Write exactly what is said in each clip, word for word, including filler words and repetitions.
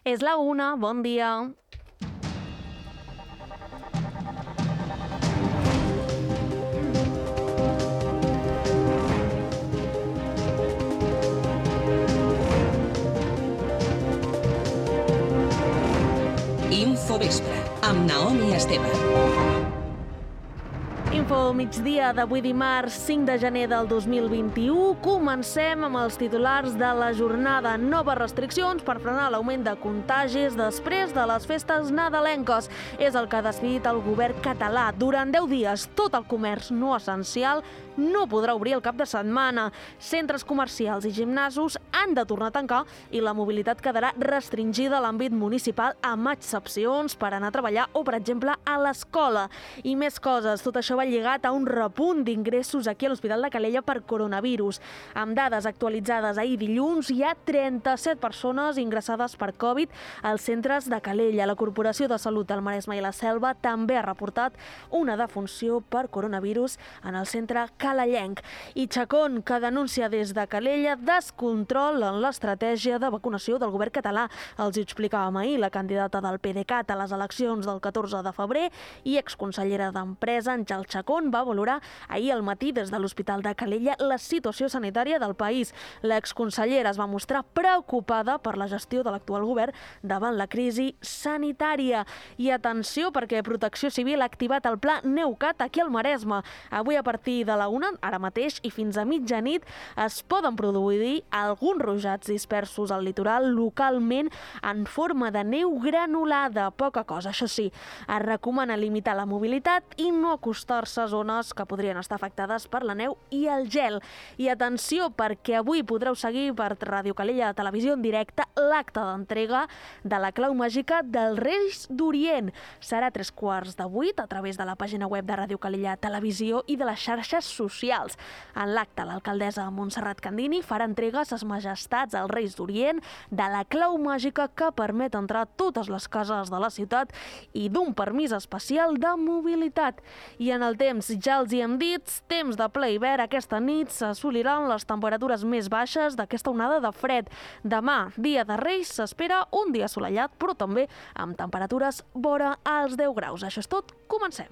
És la una, bon dia. Infovespre, amb Naomi Esteve. Info migdia d'avui dimarts cinc de gener del dos mil vint-i-u. Comencem amb els titulars de la jornada. Noves restriccions per frenar l'augment de contagis després de les festes nadalenques. És el que ha decidit el govern català. Durant deu dies, tot el comerç no essencial no podrà obrir el cap de setmana. Centres comercials i gimnasos han de tornar a tancar i la mobilitat quedarà restringida a l'àmbit municipal amb excepcions per anar a treballar o, per exemple, a l'escola. I més coses. Tot això va lligat a un repunt d'ingressos aquí a l'Hospital de Calella per coronavirus. Amb dades actualitzades ahir dilluns, hi ha trenta-set persones ingressades per Covid als centres de Calella. La Corporació de Salut del Maresme i la Selva també ha reportat una defunció per coronavirus en el centre calellenc. I Chacón, que denuncia des de Calella descontrol en l'estratègia de vacunació del govern català. Els hi explicàvem ahir la candidata del PDeCAT a les eleccions del catorze de febrer i exconsellera d'Empresa, Àngel Chacón, va valorar ahir al matí des de l'Hospital de Calella la situació sanitària del país. L'exconsellera es va mostrar preocupada per la gestió de l'actual govern davant la crisi sanitària. I atenció, perquè Protecció Civil ha activat el pla Neucat aquí al Maresme. Avui a partir de la una, ara mateix, i fins a mitjanit, es poden produir alguns ruixats dispersos al litoral localment en forma de neu granulada. Poca cosa, això sí, es recomana limitar la mobilitat i no acostar-se a zones que podrien estar afectades per la neu i el gel. I atenció, perquè avui podreu seguir per Ràdio Calella de Televisió en directe l'acte d'entrega de la clau màgica dels Reis d'Orient. Serà a tres quarts de vuit a través de la pàgina web de Ràdio Calella Televisió i de les xarxes socials. En l'acte, l'alcaldessa Montserrat Candini farà entrega a ses majestats als Reis d'Orient de la clau màgica que permet entrar a totes les cases de la ciutat i d'un permís especial de mobilitat. I en el temps, ja els hi hem dit, temps de ple hivern. Aquesta nit s'assoliran les temperatures més baixes d'aquesta onada de fred. Demà, dia de Reis, s'espera un dia assolellat, però també amb temperatures vora als deu graus. Això és tot, comencem.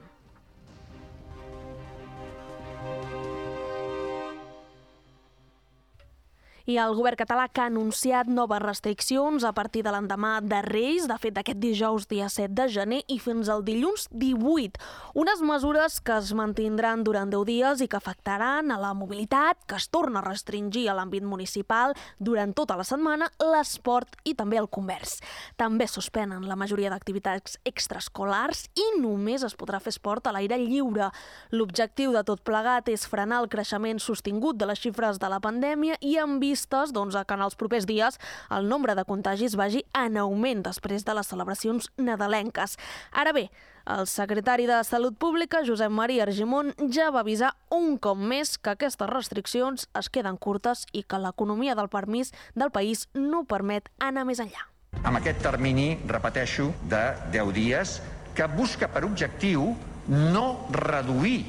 I el govern català que ha anunciat noves restriccions a partir de l'endemà de Reis, de fet aquest dijous dia set de gener i fins al dilluns divuit. Unes mesures que es mantindran durant deu dies i que afectaran a la mobilitat, que es torna a restringir a l'àmbit municipal durant tota la setmana, l'esport i també el comerç. També suspenen la majoria d'activitats extraescolars i només es podrà fer esport a l'aire lliure. L'objectiu de tot plegat és frenar el creixement sostingut de les xifres de la pandèmia i en vista doncs, que en els propers dies el nombre de contagis vagi en augment després de les celebracions nadalenques. Ara bé, el secretari de Salut Pública, Josep Maria Argimon, ja va avisar un cop més que aquestes restriccions es queden curtes i que l'economia del permís del país no permet anar més enllà. Amb aquest termini, repeteixo, de deu dies, que busca per objectiu no reduir,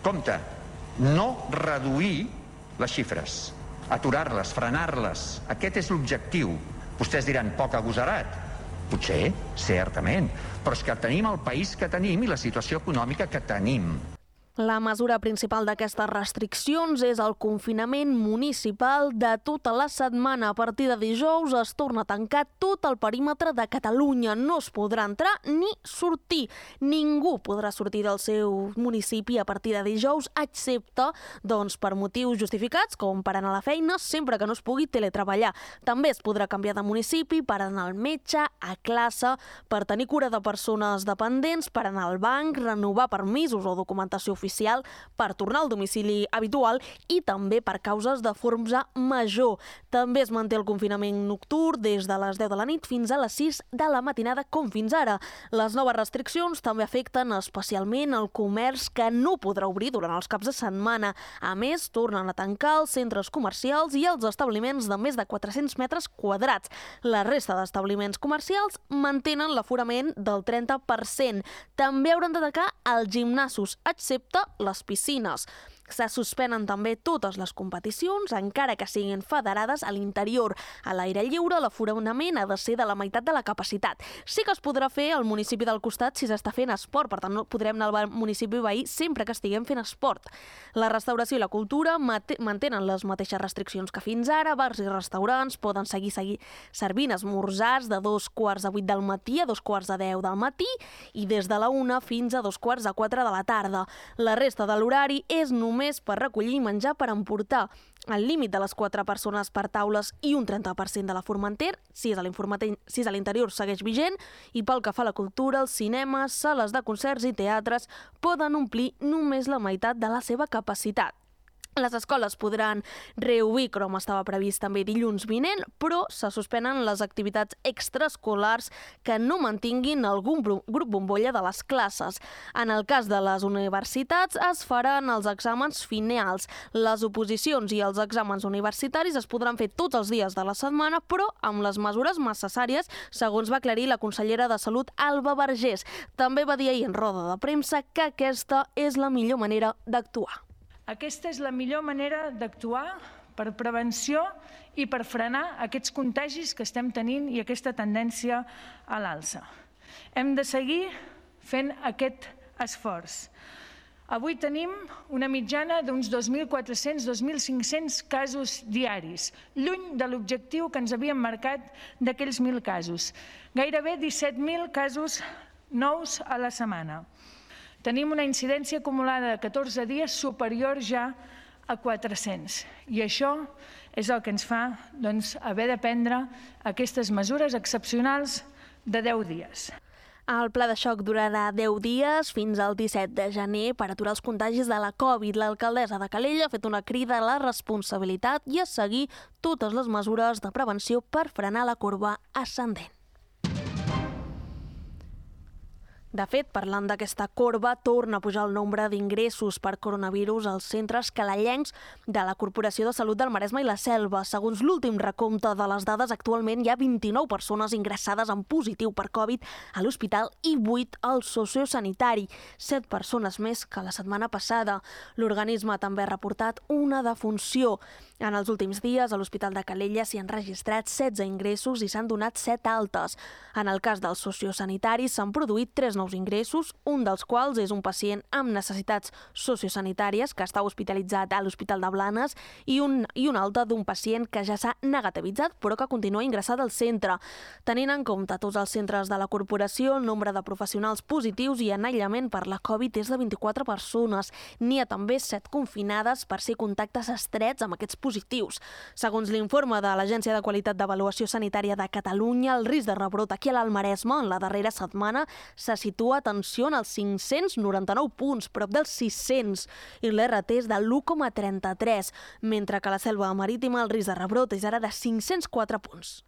compte, no reduir les xifres, aturar-les, frenar-les. Aquest és l'objectiu. Vostès diran, poc agosarat. Potser, certament, però és que tenim el país que tenim i la situació econòmica que tenim. La mesura principal d'aquestes restriccions és el confinament municipal de tota la setmana. A partir de dijous es torna a tancar tot el perímetre de Catalunya. No es podrà entrar ni sortir. Ningú podrà sortir del seu municipi a partir de dijous, excepte doncs, per motius justificats, com per anar a la feina, sempre que no es pugui teletreballar. També es podrà canviar de municipi per anar al metge, a classe, per tenir cura de persones dependents, per anar al banc, renovar permisos o documentació oficial, per tornar al domicili habitual i també per causes de força major. També es manté el confinament nocturn des de les deu de la nit fins a les sis de la matinada, com fins ara. Les noves restriccions també afecten especialment el comerç, que no podrà obrir durant els caps de setmana. A més, tornen a tancar els centres comercials i els establiments de més de quatre-cents metres quadrats. La resta d'establiments comercials mantenen l'aforament del trenta per cent. També hauran de tancar els gimnasos, excepte les piscines. Se suspenen també totes les competicions, encara que siguin federades a l'interior. A l'aire lliure, l'aforament ha de ser de la meitat de la capacitat. Sí que es podrà fer al municipi del costat si s'està fent esport, per tant no podrem anar al municipi veí sempre que estiguem fent esport. La restauració i la cultura mantenen les mateixes restriccions que fins ara. Bars i restaurants poden seguir, seguir servint esmorzars de dos quarts de vuit del matí a dos quarts de deu del matí i des de la una fins a dos quarts de quatre de la tarda. La resta de l'horari és només per recollir menjar per emportar. El límit de les quatre persones per taules i un trenta per cent de la Formenter, si és a l'interior, segueix vigent, i pel que fa a la cultura, els cinemes, sales de concerts i teatres poden omplir només la meitat de la seva capacitat. Les escoles podran reobrir, com estava previst també dilluns vinent, però se suspenen les activitats extraescolars que no mantinguin algun grup bombolla de les classes. En el cas de les universitats es faran els exàmens finals. Les oposicions i els exàmens universitaris es podran fer tots els dies de la setmana, però amb les mesures necessàries, segons va aclarir la consellera de Salut, Alba Vergés. També va dir ahir en roda de premsa que aquesta és la millor manera d'actuar. Aquesta és la millor manera d'actuar per prevenció i per frenar aquests contagis que estem tenint i aquesta tendència a l'alça. Hem de seguir fent aquest esforç. Avui tenim una mitjana d'uns dos mil quatre-cents a dos mil cinc-cents casos diaris, lluny de l'objectiu que ens havíem marcat d'aquells mil casos. Gairebé disset mil casos nous a la setmana. Tenim una incidència acumulada de catorze dies superior ja a quatre-cents. I això és el que ens fa haver de prendre aquestes mesures excepcionals de deu dies. El pla de xoc durarà deu dies fins al disset de gener per aturar els contagis de la Covid. L'alcaldessa de Calella ha fet una crida a la responsabilitat i a seguir totes les mesures de prevenció per frenar la corba ascendent. De fet, parlant d'aquesta corba, torna a pujar el nombre d'ingressos per coronavirus als centres calellencs de la Corporació de Salut del Maresme i la Selva. Segons l'últim recompte de les dades, actualment hi ha vint-i-nou persones ingressades en positiu per Covid a l'hospital i vuit al sociosanitari, set persones més que la setmana passada. L'organisme també ha reportat una defunció. En els últims dies, a l'Hospital de Calella s'hi han registrat setze ingressos i s'han donat set altes. En el cas dels sociosanitaris s'han produït tres nous ingressos, un dels quals és un pacient amb necessitats sociosanitàries que està hospitalitzat a l'Hospital de Blanes i un, i un altre d'un pacient que ja s'ha negativitzat però que continua ingressat al centre. Tenint en compte tots els centres de la corporació, el nombre de professionals positius i en aïllament per la Covid és de vint-i-quatre persones. N'hi ha també set confinades per ser contactes estrets amb aquests positius. Segons l'informe de l'Agència de Qualitat d'Avaluació Sanitària de Catalunya, el risc de rebrot aquí a l'Alt Maresme en la darrera setmana se situa, atenció, en els cinc-cents noranta-nou punts, prop dels sis-cents, i l'R T és de l'u coma trenta-tres, mentre que a la Selva Marítima el risc de rebrot és ara de cinc-cents quatre punts.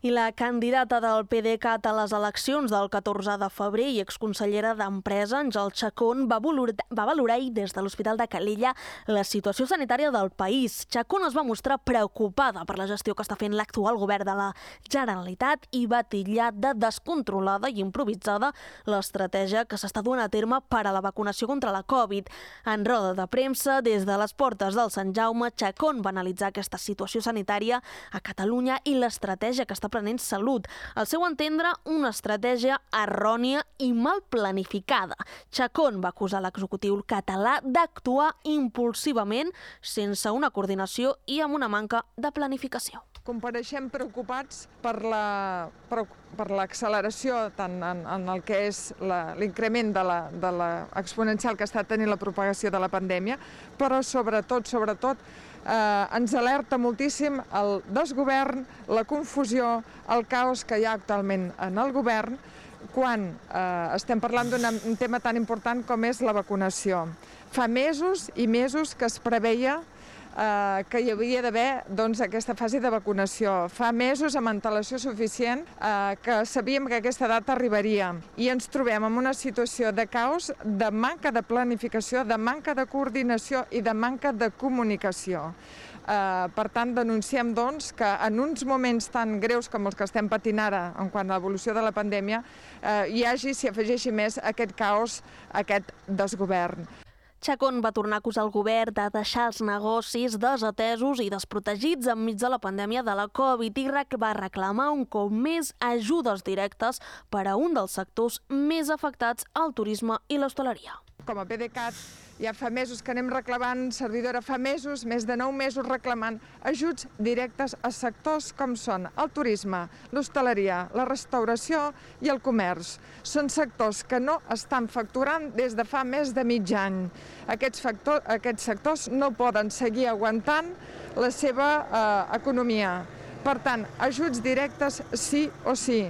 I la candidata del P D C A T a les eleccions del catorze de febrer i exconsellera d'Empresa, Àngel Chacón, va valorar, va valorar ahir des de l'Hospital de Calella la situació sanitària del país. Chacón es va mostrar preocupada per la gestió que està fent l'actual govern de la Generalitat i va titllar de descontrolada i improvisada l'estratègia que s'està duent a terme per a la vacunació contra la Covid. En roda de premsa, des de les portes del Sant Jaume, Chacón va analitzar aquesta situació sanitària a Catalunya i l'estratègia que està prenent Salut. Al seu entendre, una estratègia errònia i mal planificada. Chacón va acusar l'executiu català d'actuar impulsivament, sense una coordinació i amb una manca de planificació. Compareixem preocupats per la, per, per l'acceleració tant en, en el que és l'increment de la, de la exponencial que està tenint la propagació de la pandèmia, però sobretot, sobretot, eh, ens alerta moltíssim el desgovern, la confusió, el caos que hi ha actualment en el govern quan eh, estem parlant d'un tema tan important com és la vacunació. Fa mesos i mesos que es preveia eh, que hi havia d'haver doncs, aquesta fase de vacunació. Fa mesos, amb antelació suficient, eh, que sabíem que aquesta data arribaria i ens trobem en una situació de caos, de manca de planificació, de manca de coordinació i de manca de comunicació. Uh, per tant, denunciem doncs, que en uns moments tan greus com els que estem patint ara en quant a l'evolució de la pandèmia uh, hi hagi, s'hi afegeixi més aquest caos, aquest desgovern. Chacón va tornar a acusar el govern de deixar els negocis desatesos i desprotegits enmig de la pandèmia de la Covid i va reclamar un cop més ajudes directes per a un dels sectors més afectats, el turisme i l'hostaleria. Com a PDeCAT ja fa mesos que anem reclamant, servidora fa mesos, més de nou mesos reclamant ajuts directes a sectors com són el turisme, l'hostaleria, la restauració i el comerç. Són sectors que no estan facturant des de fa més de mig any. Aquests, factor, aquests sectors no poden seguir aguantant la seva eh, economia. Per tant, ajuts directes sí o sí.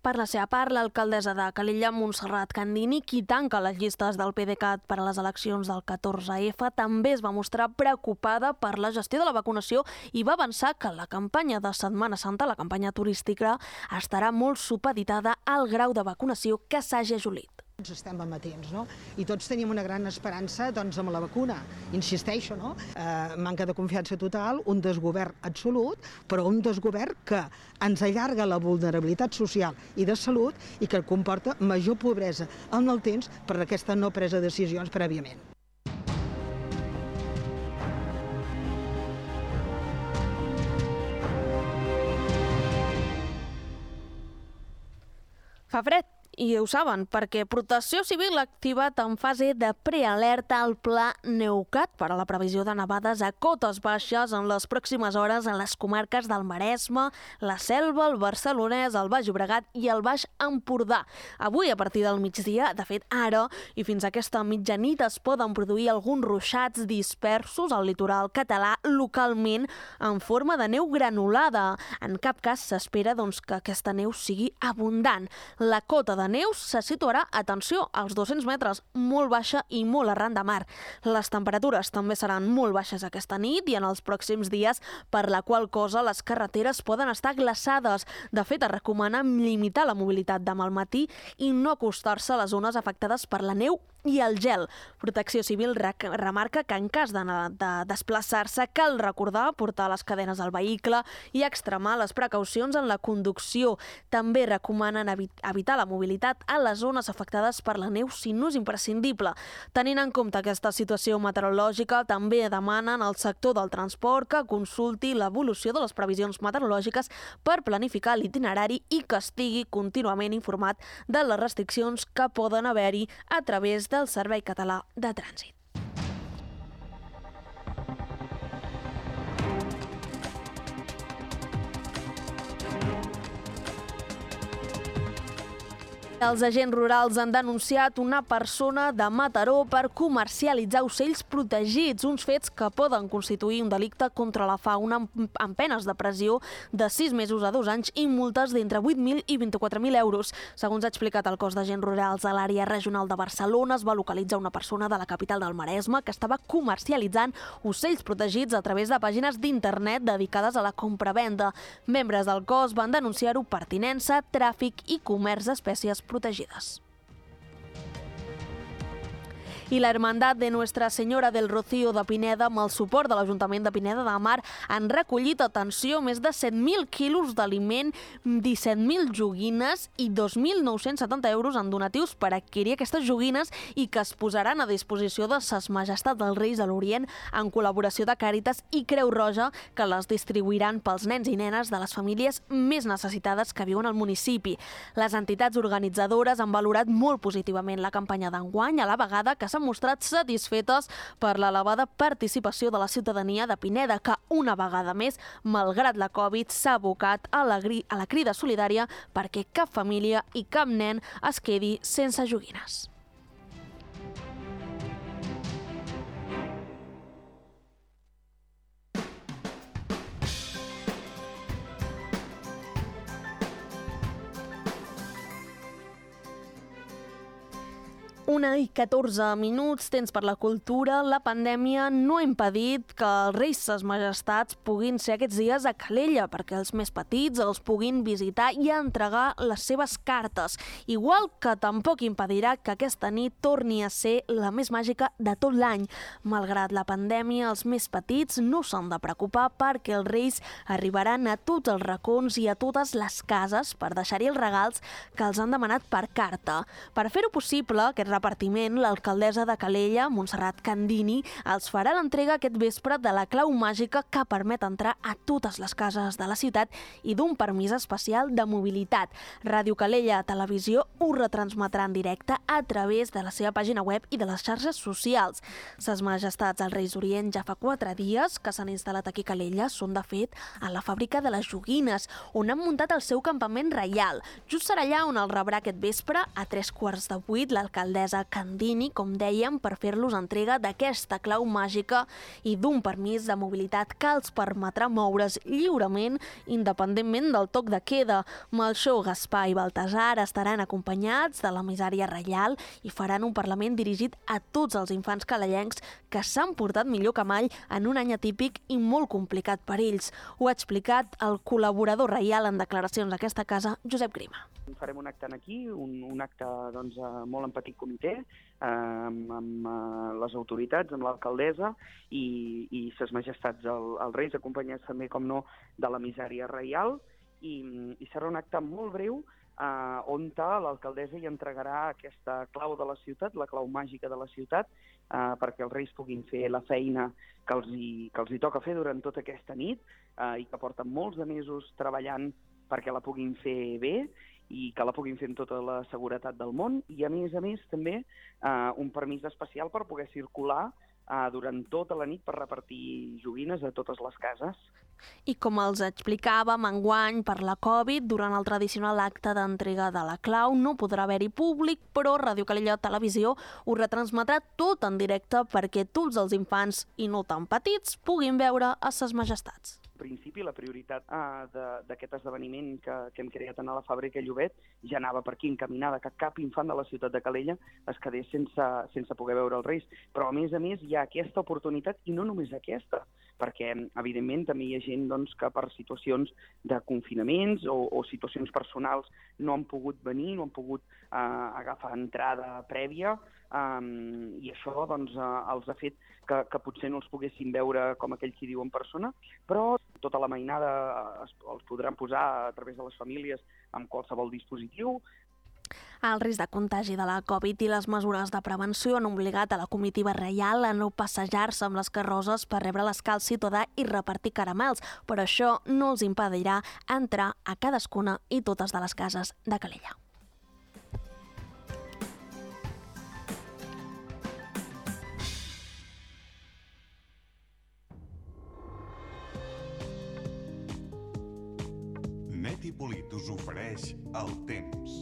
Per la seva part, l'alcaldessa de Calella, Montserrat Candini, qui tanca les llistes del PDeCAT per a les eleccions del catorze efa, també es va mostrar preocupada per la gestió de la vacunació i va avançar que la campanya de Setmana Santa, la campanya turística, estarà molt supeditada al grau de vacunació que s'hagi assolit. Estem amatents, no? I tots tenim una gran esperança doncs, amb la vacuna. Insisteixo, no? Eh, manca de confiança total, un desgovern absolut, però un desgovern que ens allarga la vulnerabilitat social i de salut i que comporta major pobresa en el temps per aquesta no presa de decisions prèviament. Fa fred. I ho saben, perquè Protecció Civil ha activat en fase de prealerta el pla Neucat per a la previsió de nevades a cotes baixes en les pròximes hores en les comarques del Maresme, la Selva, el Barcelonès, el Baix Llobregat i el Baix Empordà. Avui, a partir del migdia, de fet ara, i fins a aquesta mitjanit es poden produir alguns ruixats dispersos al litoral català localment en forma de neu granulada. En cap cas s'espera doncs, que aquesta neu sigui abundant. La cota de de neus se situarà, atenció, als dos-cents metres, molt baixa i molt arran de mar. Les temperatures també seran molt baixes aquesta nit i en els pròxims dies, per la qual cosa les carreteres poden estar glaçades. De fet, es recomana limitar la mobilitat demà al matí i no acostar-se a les zones afectades per la neu i el gel. Protecció Civil remarca que en cas de, de desplaçar-se cal recordar portar les cadenes al vehicle i extremar les precaucions en la conducció. També recomanen evitar la mobilitat a les zones afectades per la neu si no és imprescindible. Tenint en compte aquesta situació meteorològica, també demanen al sector del transport que consulti l'evolució de les previsions meteorològiques per planificar l'itinerari i que estigui contínuament informat de les restriccions que poden haver-hi a través del Servei Català de Trànsit. Els agents rurals han denunciat una persona de Mataró per comercialitzar ocells protegits, uns fets que poden constituir un delicte contra la fauna amb penes de pressió de sis mesos a dos anys i multes d'entre vuit mil i vint-i-quatre mil euros. Segons ha explicat el cos d'agents rurals a l'àrea regional de Barcelona, es va localitzar una persona de la capital del Maresme que estava comercialitzant ocells protegits a través de pàgines d'internet dedicades a la compra-venda. Membres del cos van denunciar-ho per tinença, tràfic i comerç d'espècies protegides. I la Hermandad de Nuestra Senyora del Rocío de Pineda, amb el suport de l'Ajuntament de Pineda de Mar, han recollit, atenció, més de set mil quilos d'aliment, disset mil joguines i dos mil nou-cents setanta euros en donatius per adquirir aquestes joguines i que es posaran a disposició de Ses Majestats dels Reis de l'Orient en col·laboració de Càritas i Creu Roja, que les distribuiran pels nens i nenes de les famílies més necessitades que viuen al municipi. Les entitats organitzadores han valorat molt positivament la campanya d'enguany, a la vegada que s'ha mostrat satisfetes per l'elevada participació de la ciutadania de Pineda, que una vegada més, malgrat la Covid, s'ha abocat a la, a la crida solidària perquè cap família i cap nen es quedi sense joguines. Una i catorze minuts, temps per la cultura. La pandèmia no ha impedit que els reis ses majestats puguin ser aquests dies a Calella perquè els més petits els puguin visitar i entregar les seves cartes. Igual que tampoc impedirà que aquesta nit torni a ser la més màgica de tot l'any. Malgrat la pandèmia, els més petits no s'han de preocupar perquè els reis arribaran a tots els racons i a totes les cases per deixar-hi els regals que els han demanat per carta. Per fer-ho possible, aquest repartiment, l'alcaldessa de Calella, Montserrat Candini, els farà l'entrega aquest vespre de la clau màgica que permet entrar a totes les cases de la ciutat i d'un permís especial de mobilitat. Ràdio Calella Televisió ho retransmetrà en directe a través de la seva pàgina web i de les xarxes socials. Ses majestats als Reis d'Orient ja fa quatre dies que s'han instal·lat aquí a Calella, són de fet a la fàbrica de les joguines, on han muntat el seu campament reial. Just serà allà on el rebrà aquest vespre, a tres quarts de vuit, l'alcaldessa Candini, com dèiem, per fer-los entrega d'aquesta clau màgica i d'un permís de mobilitat que els permetrà moure's lliurement independentment del toc de queda. Melxor, Gaspar i Baltasar estaran acompanyats de l'emissària reial i faran un parlament dirigit a tots els infants calellencs que s'han portat millor que mai en un any atípic i molt complicat per ells. Ho ha explicat el col·laborador reial en declaracions d'aquesta casa, Josep Grima. Farem un acte aquí, un, un acte doncs, molt en petit comitè, eh, amb, amb uh, les autoritats, amb l'alcaldessa i, i ses majestats, el, els reis, acompanyats també, com no, de l'emissària reial, i, i serà un acte molt breu eh, on l'alcaldessa hi entregarà aquesta clau de la ciutat, la clau màgica de la ciutat, eh, perquè els reis puguin fer la feina que els hi, que els hi toca fer durant tota aquesta nit eh, i que porten molts de mesos treballant perquè la puguin fer bé i que la puguin fer amb tota la seguretat del món, i a més a més també eh, un permís especial per poder circular eh, durant tota la nit per repartir joguines a totes les cases. I com els explicàvem, enguany, per la Covid, durant el tradicional acte d'entrega de la clau no podrà haver-hi públic, però Ràdio Calella Televisió ho retransmetrà tot en directe perquè tots els infants, i no tan petits, puguin veure a ses majestats. Principi, la prioritat eh, d'aquest esdeveniment que, que hem creat a la fàbrica Llobet ja anava per aquí encaminada, que cap infant de la ciutat de Calella es quedés sense, sense poder veure els reis. Però a més a més hi ha aquesta oportunitat, i no només aquesta, perquè evidentment també hi ha gent doncs, que per situacions de confinaments o, o situacions personals no han pogut venir, no han pogut eh, agafar entrada prèvia, Um, i això doncs, uh, els ha fet que, que potser no els poguessin veure com aquell qui diu en persona, però tota la mainada es, els podran posar a través de les famílies amb qualsevol dispositiu. El risc de contagi de la Covid i les mesures de prevenció han obligat a la comitiva reial a no passejar-se amb les carrosses per rebre l'escalç ciutadà i repartir caramels, però això no els impedirà entrar a cadascuna i totes de les cases de Calella. Netipolit us ofereix el temps.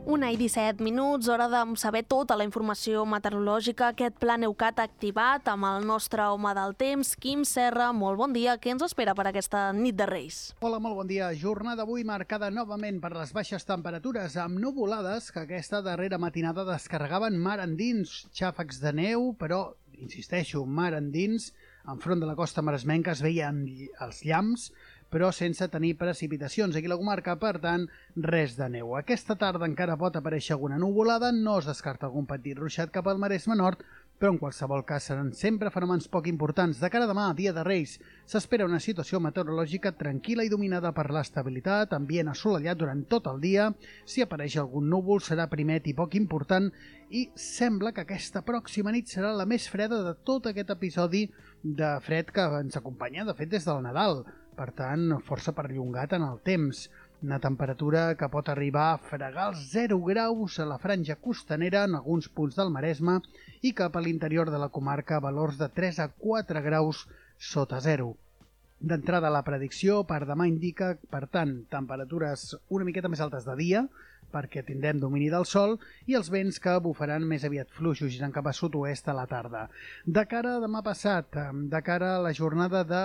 Una i disset minuts, hora de saber tota la informació meteorològica. Aquest pla Neucat activat amb el nostre home del temps, Quim Serra. Molt bon dia. Què ens espera per aquesta nit de Reis? Hola, molt bon dia. Jornada avui marcada novament per les baixes temperatures, amb nuvolades que aquesta darrera matinada descarregaven mar endins, xàfecs de neu, però, insisteixo, mar endins. Enfront de la costa maresmenca es veien els llamps, però sense tenir precipitacions. Aquí a la comarca, per tant, res de neu. Aquesta tarda encara pot aparèixer alguna nuvolada, no es descarta algun petit ruixat cap al Maresme Nord, però en qualsevol cas seran sempre fenòmens poc importants. De cara a demà, dia de Reis, s'espera una situació meteorològica tranquil·la i dominada per l'estabilitat, ambient assolellat durant tot el dia. Si apareix algun núvol serà primet i poc important, i sembla que aquesta pròxima nit serà la més freda de tot aquest episodi de fred que ens acompanya, de fet, des del Nadal. Per tant, força perllongat en el temps. Una temperatura que pot arribar a fregar els zero graus a la franja costanera en alguns punts del Maresme i cap a l'interior de la comarca a valors de tres a quatre graus sota zero. D'entrada, la predicció per demà indica, per tant, temperatures una miqueta més altes de dia, perquè tindrem domini del sol, i els vents que bufaran més aviat fluixos, girant cap a sud-oest a la tarda. De cara a demà passat, de cara a la jornada de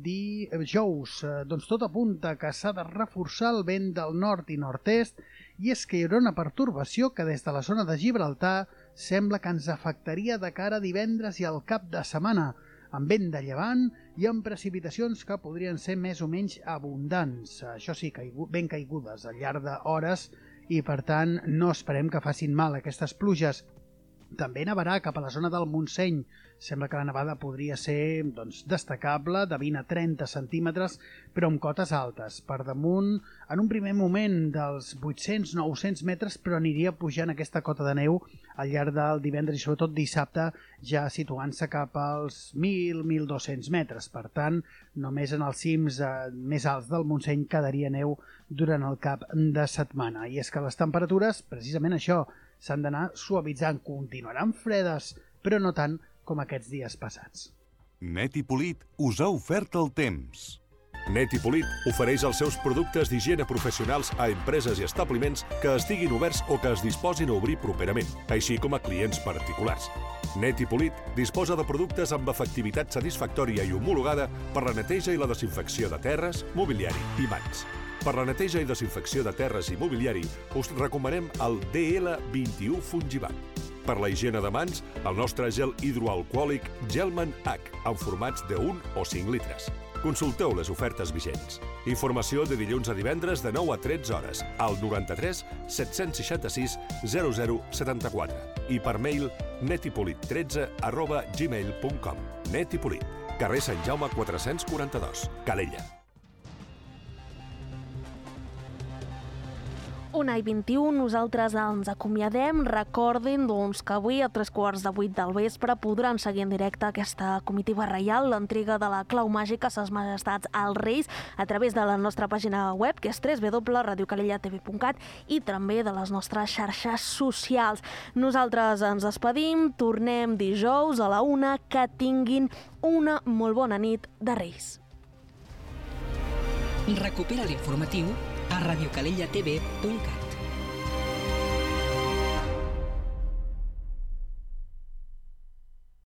dijous, doncs tot apunta que s'ha de reforçar el vent del nord i nord-est, i és que hi haurà una pertorbació que des de la zona de Gibraltar sembla que ens afectaria de cara a divendres i al cap de setmana, amb vent de llevant i amb precipitacions que podrien ser més o menys abundants. Això sí, ben caigudes al llarg d'hores, i per tant no esperem que facin mal aquestes pluges. També nevarà cap a la zona del Montseny. Sembla que la nevada podria ser doncs, destacable, de vint a trenta centímetres, però amb cotes altes. Per damunt, en un primer moment, dels vuit-cents a nou-cents metres, però aniria pujant aquesta cota de neu al llarg del divendres i sobretot dissabte, ja situant-se cap als mil a mil dos-cents metres. Per tant, només en els cims eh, més alts del Montseny quedaria neu durant el cap de setmana. I és que les temperatures, precisament això, s'han d'anar suavitzant. Continuaran fredes, però no tant com aquests dies passats. Net i Polit us ha ofert el temps. Net i Polit ofereix els seus productes d'higiene professionals a empreses i establiments que estiguin oberts o que es disposin a obrir properament, així com a clients particulars. Net i Polit disposa de productes amb efectivitat satisfactòria i homologada per la neteja i la desinfecció de terres, mobiliari i mans. Per la neteja i desinfecció de terres i mobiliari us recomanem el D L vint-i-u Fungivac. Per la higiene de mans, el nostre gel hidroalcohòlic Gelman H, en formats de un o cinc litres. Consulteu les ofertes vigents. Informació de dilluns a divendres de nou a tretze hores al noranta-tres set-cents seixanta-sis zero zero setanta-quatre i per mail netipolit tretze arroba gmail punt com. Net i Polit, carrer Sant Jaume quatre-cents quaranta-dos, Calella. Una i vint-i-u, nosaltres ens acomiadem. Recordin doncs, que avui a tres quarts de vuit del vespre podran seguir en directe aquesta comitiva reial, l'entrega de la clau màgica a Ses Majestats als Reis a través de la nostra pàgina web, que és w w w punt radio calella t v punt cat, i també de les nostres xarxes socials. Nosaltres ens despedim, tornem dijous a la una, que tinguin una molt bona nit de Reis. Recupera l'informatiu a radio calella t v punt cat.